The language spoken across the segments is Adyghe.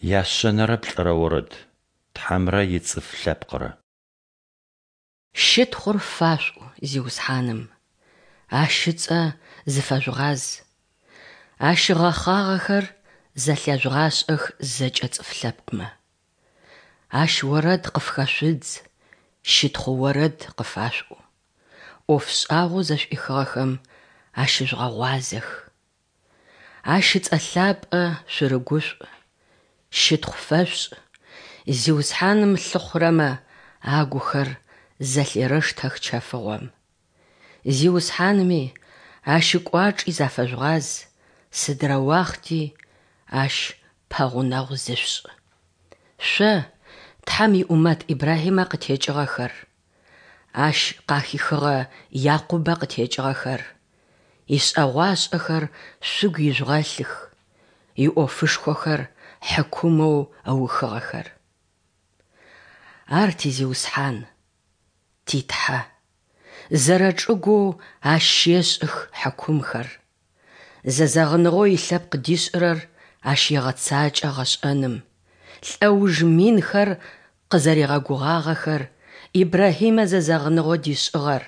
Яшъэнэрэ плӏырэ орэд. Тхьэмрэ ицӏыф лъэпкърэ. Щытхъур фашъуӏу Зиусхьаным, Ащ ыцӏэ зыфэжъугъаз, Ащ игъэхъагъэхэр зэлъяжъугъашӏэх зэкӏэ цӏыф лъэпкъмэ. Ащ орэд къыфхэшъудз, щытхъу орэд къыфашъуӏу, ӏоф шӏагъоу зэшӏуихыгъэхэм ащыжъугъэгъуазэх. Ащ ыцӏэ лъапӏэ шъурыгушӏу, щытхъу фэшъушӏ, Зиусхьаным лъыхъурэмэ агухэр зэлъерэштэх чэфыгъом. Зиусхьанми Ащ ыкӏуачӏи зафэжъугъаз, сыдрэ уахъти Ащ пэгъунэгъу зышъушӏ. Шъо, Тхьэм иӏумэт Ибрахьимэ къытекӏыгъэхэр, Ащ къахихыгъэ Якъубэ къытекӏыгъэхэр, ишӏэгъуашӏэхэр шъугу ижъугъэлъых, иӏофышхохэр хьыкумэу ыухыгъэхэр. Ар ти Зиусхьан, ти Тхьэ, зэрэчӏыгоу Ащ щешӏых хьыкумхэр. Зэзэгъыныгъэу илъэпкъ дишӏырэр Ащ егъэцакӏэ гъэшӏэным, лӏэуж минхэр къызэригъэгугъагъэхэр, Ибрахьимэ зэзэгъыныгъэу дишӏыгъэр,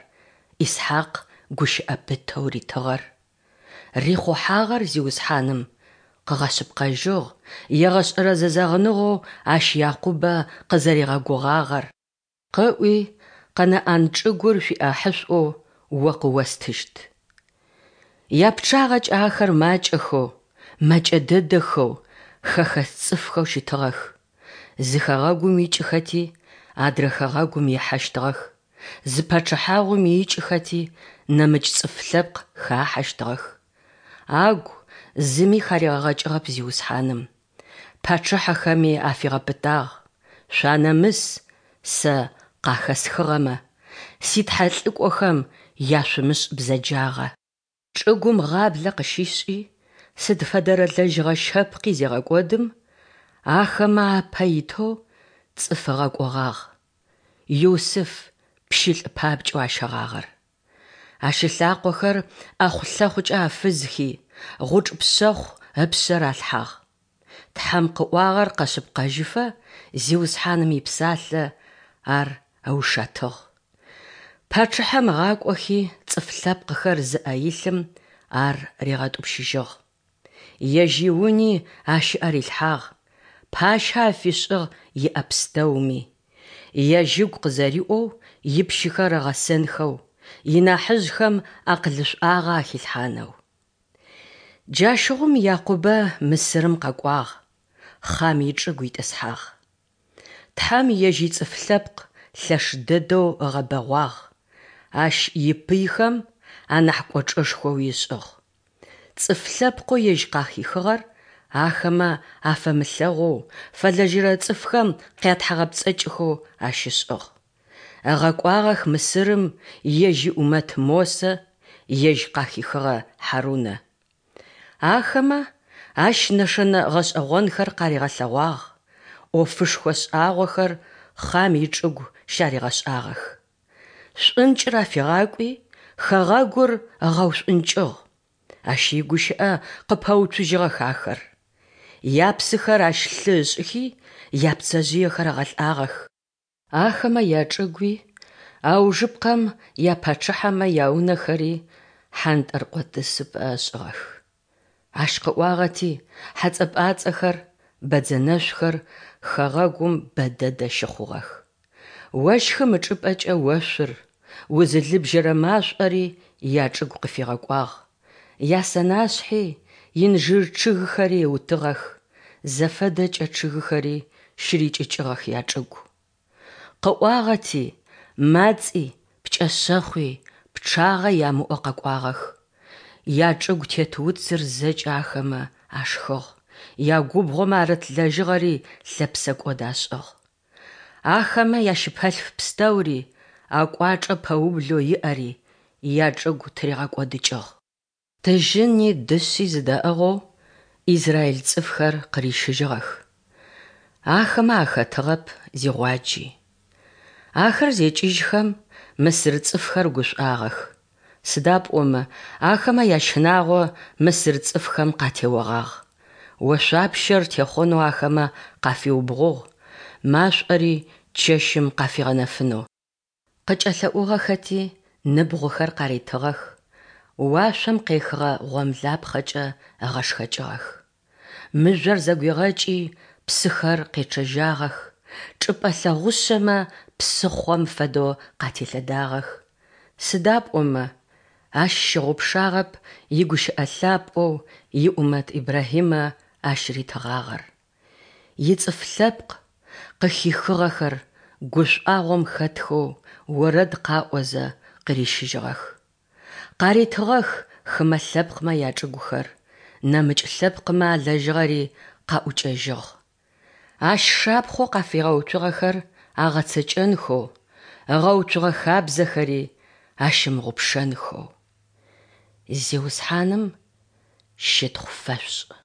Исхьакъ гущыӏэ пытэу ритыгъэр. Рихъухьагъэр Зиусхьаным къыгъэшъыпкъэжьыгъ, егъэшӏэрэ зэзэгъыныгъэу Ащ Якъубэ къызэригъэгугъагъэр, Къыӏуи, Къэнаӏан чӏыгур шъуиӏахьышӏоу о къыостыщт. Япчъагъэкӏэ ахэр макӏэхэу, мэкӏэ дэдэхэу, хэхэс цӏыфхэу щытыгъэх. Зы хэгъэгум икӏыхэти, адрэ хэгъэгум ихьэщтыгъэх, зы пачъыхьагъум икӏыхэти, нэмыкӏ цӏыф лъэпкъ хахьэщтыгъэх. Агу зыми харигъэгъэкӏыгъэп Зиусхьаным. Пачъыхьэхэми афигъэпытагъ, Шъуанэмыс Сэ къахэсхыгъэмэ, ситхьэлӏыкӏохэм яшъумышӏ бзэджагъэ. Чӏыгум гъаблэ къыщишӏи, сыд фэдэрэ лэжьыгъэ щэпкъи зегъэкӏодым, ахэмэ апэ итэу цӏыф ыгъэкӏогъагъ, Юсыф пщылӏ папкӏэу ащэгъагъэр. Ащ ылъакъохэр ӏэхъу-лъэхъукӏэ афызхи, гъучӏ пшъэхъу ыпшъэ ралъхьагъ. Тхьэм къыӏуагъэр къэшъыпкъэжьыфэ Зиусхьаным ипсалъэ ар ыушэтыгъ. Пачъыхьэм ыгъакӏохи цӏыф лъэпкъхэр зыӏэ илъым ар ригъэтӏупщыжьыгъ. Ежь иуни ащ ыӏэ рилъхьагъ, пащэ афишӏыгъ иӏэ пстэуми. Ежь ыгу къызэриӏоу ипщыхэр ыгъэсэнхэу, инахьыжъхэм акъылышӏуагъэ ахилъхьанэу. Джащыгъум Якъубэ Мысырым къэкӏуагъ, Хъам ичӏыгу итӏысхьагъ. Тхьэм ежь ицӏыф лъэпкъ лъэш дэдэу ыгъэбэгъуагъ, ащ ипыйхэм анахь кӏочӏэшхоуи ышӏыгъ. Цӏыф лъэпкъэу ежь къахихыгъэр ахэмэ афэмылъэгъоу, фэлэжьэрэ цӏыфхэм къятхьагъэпцӏэкӏхэу ащ ышӏыгъ. Ыгъэкӏуагъэх Мысырым ежь иӏумэт Мосэ, ежь къахихыгъэ Хьарунэ. Ахэмэ ащ нэшэнэ гъэшӏэгъонхэр къаригъэлъэгъуагъ, ӏофышхо шӏагъохэр Хъам ичӏыгу щаригъэшӏагъэх. Шӏункӏыр афигъакӏуи, хэгъэгур ыгъэушӏункӏыгъ. Ащ игущыӏэ къыпэуцужьыгъэх ахэр. Япсыхэр ащ лъы ышӏыхи, япцэжъыехэр ыгъэлӏагъэх. Ахэмэ ячӏыгуи, аужыпкъэм япачъыхьэмэ яунэхэри хьантӏэркъо тӏысыпӏэ ышӏыгъэх. Ащ къыӏуагъэти, хьэцӏэ-пӏацӏэхэр, бэдзэнэшъухэр хэгъэгум бэ дэдэ щыхъугъэх. Ощхым ычӏыпӏэкӏэ ошъур, узылыбжьэрэ машӏори ячӏыгу къыфигъэкӏуагъ, ясэнашъхьи, инжир чъыгхэри ыутыгъэх, зэфэдэкӏэ чъыгхэри щырикӏыкӏыгъэх ячӏыгу. Къыӏуагъэти, мацӏи, пкӏэшъэхъуи пчъагъэ ямыӏэу къэкӏуагъэх. Ячӏыгу тет уцыр зэкӏэ ахэмэ ашхыгъ, ягубгъомэ арыт лэжьыгъэри лъэпсэкӏод ашӏыгъ. Ахэмэ ящыпэлъф пстэури, акӏуачӏэ пэублэу иӏэри ячӏыгу тыригъэкӏодыкӏыгъ. Тыжьыни дышъи зыдаӏыгъэу израиль цӏыфхэр къырищыжьыгъэх. Ахэмэ ахэтыгъэп зигъуаджи. Ахэр зекӏыжьхэм, мысыр цӏыфхэр гушӏуагъэх, сыда пӏомэ ахэмэ ящынагъо мысыр цӏыфхэм къатеогъагъ. Ошъуапщэр техъонэу ахэмэ къафиубгъугъ, машӏори чэщым къафигъэнэфынэу. Къыкӏэлъэӏугъэхэти, ныбгъухэр къаритыгъэх, уашъом къехыгъэ гъомлапхъэкӏэ ыгъэшхэкӏыгъэх. Мыжъор зэгуигъэкӏи, псыхэр къечъэжьагъэх, чӏыпӏэ лъэгъушъэмэ псыхъом фэдэу къателъэдагъэх, сыда пӏомэ Ащ щыгъупшагъэп игущыӏэ лъапӏэу иӏумэт Ибрахьимэ ащ ритыгъагъэр. Ицӏыф лъэпкъ, къыхихыгъэхэр, гушӏуагъом хэтхэу орэд къаӏозэ къырищыжьыгъэх. Къаритыгъэх хымэ лъэпкъмэ ячӏыгухэр, нэмыкӏ лъэпкъмэ алэжьыгъэри къаӏукӏэжьыгъ. Ащ шапхъэу къафигъэуцугъэхэр агъэцэкӏэнхэу, ыгъэуцугъэ хабзэхэри ащымыгъупшэнхэу. Зиусхьаным щытхъу фэшъушӏ!